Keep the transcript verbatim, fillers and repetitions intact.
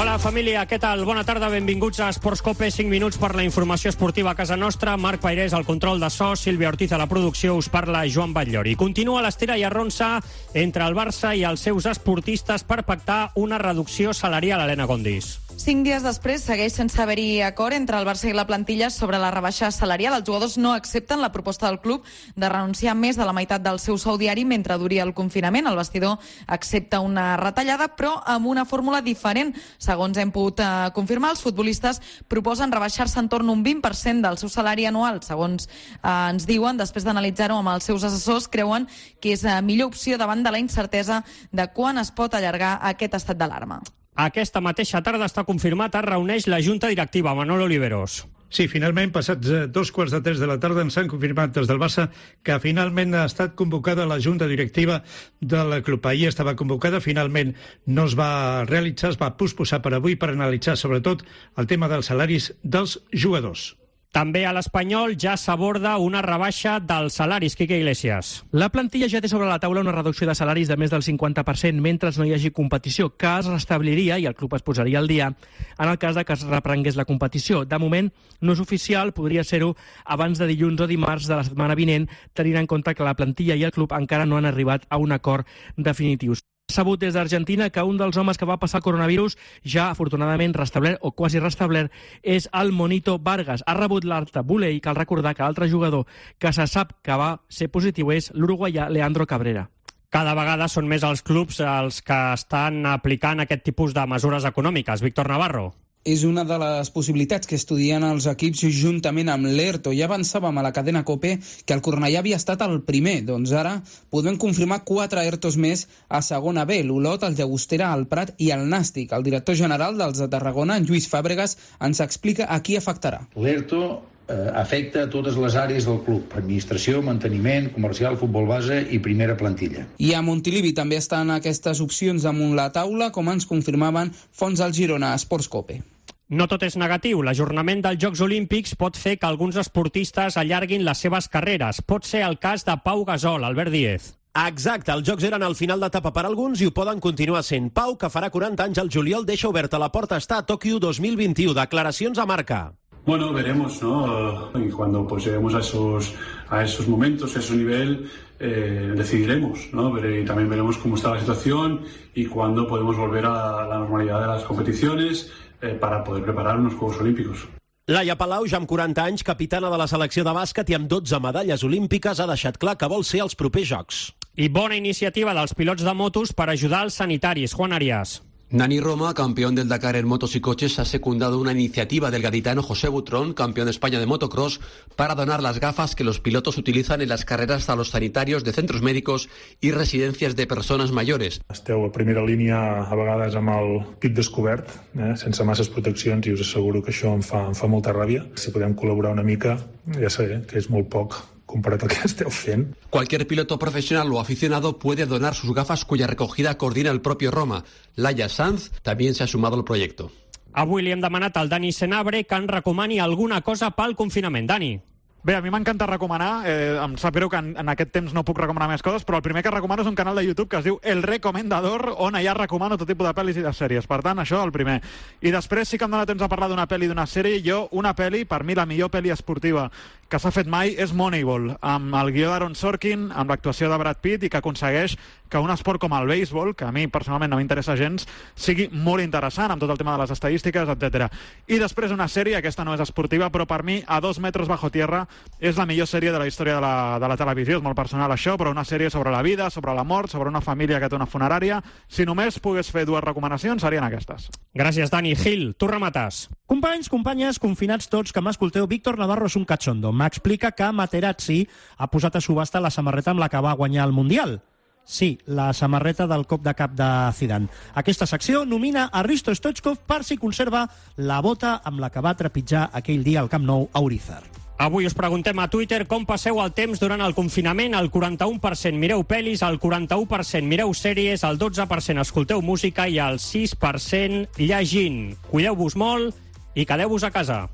Hola, família, què tal? Bona tarda, benvinguts a Esports Cope, cinc minuts per la informació esportiva a casa nostra. Marc Pairés al control de so, Sílvia Ortiz a la producció, us parla Joan Batllori. Continua l'estira i arronsa entre el Barça i els seus esportistes per pactar una reducció salarial, Helena Gondis. Cinc dies després segueix sense haver-hi acord entre el Barça i la plantilla sobre la rebaixa salarial. Els jugadors no accepten la proposta del club de renunciar a més de la meitat del seu sou diari mentre duri el confinament. El vestidor accepta una retallada, però amb una fórmula diferent. Segons hem pogut eh, confirmar, els futbolistes proposen rebaixar-se en torn a un vint per cent del seu salari anual. Segons eh, ens diuen, després d'analitzar-ho amb els seus assessors, creuen que és la millor opció davant de la incertesa de quan es pot allargar aquest estat d'alarma. Aquesta mateixa tarda està confirmat, es reuneix la Junta Directiva. Manolo Oliveros. Sí, finalment, passats dos quarts de tres de la tarda, ens han confirmat des del Barça que finalment ha estat convocada la Junta Directiva del club. Ahir estava convocada, finalment no es va realitzar, es va posposar per avui per analitzar sobretot el tema dels salaris dels jugadors. També a l'Espanyol ja s'aborda una rebaixa dels salaris. Quique Iglesias. La plantilla ja té sobre la taula una reducció de salaris de més del cinquanta per cent mentre no hi hagi competició, que es restabliria i el club es posaria al dia en el cas de que es reprengués la competició. De moment no és oficial, podria ser-ho abans de dilluns o dimarts de la setmana vinent, tenint en compte que la plantilla i el club encara no han arribat a un acord definitiu. Sabut des d'Argentina que un dels homes que va passar el coronavirus ja afortunadament restablert o quasi restablert és el Monito Vargas. Ha rebut l'alta Bule i cal recordar que l'altre jugador que se sap que va ser positiu és l'uruguaià Leandro Cabrera. Cada vegada són més els clubs els que estan aplicant aquest tipus de mesures econòmiques. Víctor Navarro. És una de les possibilitats que estudien els equips juntament amb l'Erto. Ja avançàvem a la cadena COPE que el Cornellà havia estat el primer. Doncs ara podem confirmar quatre Ertos més a segona B. L'Olot, el Llagostera, el Prat i el Nàstic. El director general dels de Tarragona, en Lluís Fàbregas, ens explica a qui afectarà. L'Erto eh, afecta a totes les àrees del club. Administració, manteniment, comercial, futbol base i primera plantilla. I a Montilivi també estan aquestes opcions damunt la taula, com ens confirmaven fonts al Girona, Esports Cope. No tot és negatiu. L'ajornament dels Jocs Olímpics pot fer que alguns esportistes allarguin les seves carreres. Pot ser el cas de Pau Gasol, Albert Díez. Exacte, els Jocs eren al final d'etapa per alguns i ho poden continuar sent. Pau, que farà quaranta anys al juliol, deixa oberta la porta a estar a Tòquio dos mil vint-i-u. Declaracions a Marca. Bueno, veremos, ¿no? Y cuando pues lleguemos a esos, a esos momentos, a ese nivel, eh, decidiremos, ¿no? Y también veremos cómo está la situación y cuándo podemos volver a la normalidad de las competiciones eh, para poder preparar unos Juegos Olímpicos. Laia Palau, ja amb quaranta anys, capitana de la selecció de bàsquet i amb dotze medalles olímpiques, ha deixat clar que vol ser als propers Jocs. I bona iniciativa dels pilots de motos per ajudar els sanitaris. Juan Arias. Nani Roma, campeón del Dakar en motos y coches, ha secundado una iniciativa del gaditano José Butrón, campeón de España de motocross, para donar las gafas que los pilotos utilizan en las carreras a los sanitarios de centros médicos y residencias de persones mayores. Esteu a primera línia a vegades amb el pit descobert, eh, sense masses proteccions, i us asseguro que això em fa, em fa molta ràbia. Si podem col·laborar una mica, ja sé que és molt poc comparat al que esteu fent. Cualquier piloto profesional o aficionado puede donar sus gafas cuya recogida coordina el propio Roma. Laia Sanz también se ha sumado al proyecto. Avui li hem demanat al Dani Senabre que ens recomani alguna cosa pel confinament. Dani. Bé, a mi m'encanta recomanar, eh, em sap greu que en, en aquest temps no puc recomanar més coses, però el primer que recomano és un canal de YouTube que es diu El Recomendador, on allà recomano tot tipus de pel·lis i de sèries. Per tant, això el primer. I després sí que em dóna temps a parlar d'una pel·li i d'una sèrie. Jo, una pel·li, per mi la millor pel·li esportiva que s'ha fet mai és Moneyball, amb el guió d'Aaron Sorkin, amb l'actuació de Brad Pitt, i que aconsegueix que un esport com el béisbol, que a mi personalment no m'interessa gens, sigui molt interessant, amb tot el tema de les estadístiques, etcètera. I després una sèrie, aquesta no és esportiva, però per mi, A dos metros bajo tierra, és la millor sèrie de la història de la, de la televisió. És molt personal això, però una sèrie sobre la vida, sobre la mort, sobre una família que té una funerària. Si només pogués fer dues recomanacions, serien aquestes. Gràcies, Dani. Gil, tu remates. Companys, companyes, confinats tots que m'escolteu, Víctor Navarro és un cachondo. M'explica que Materazzi ha posat a subhasta la samarreta amb la que va guanyar el Mundial. Sí, la samarreta del cop de cap de Zidane. Aquesta secció nomina a Risto Stoichkov per si conserva la bota amb la que va trepitjar aquell dia al Camp Nou a Urizar. Avui us preguntem a Twitter com passeu el temps durant el confinament. El quaranta-u per cent mireu pel·lis, el quaranta-u per cent mireu sèries, el dotze per cent escolteu música i el sis per cent llegint. Cuideu-vos molt i quedeu-vos a casa.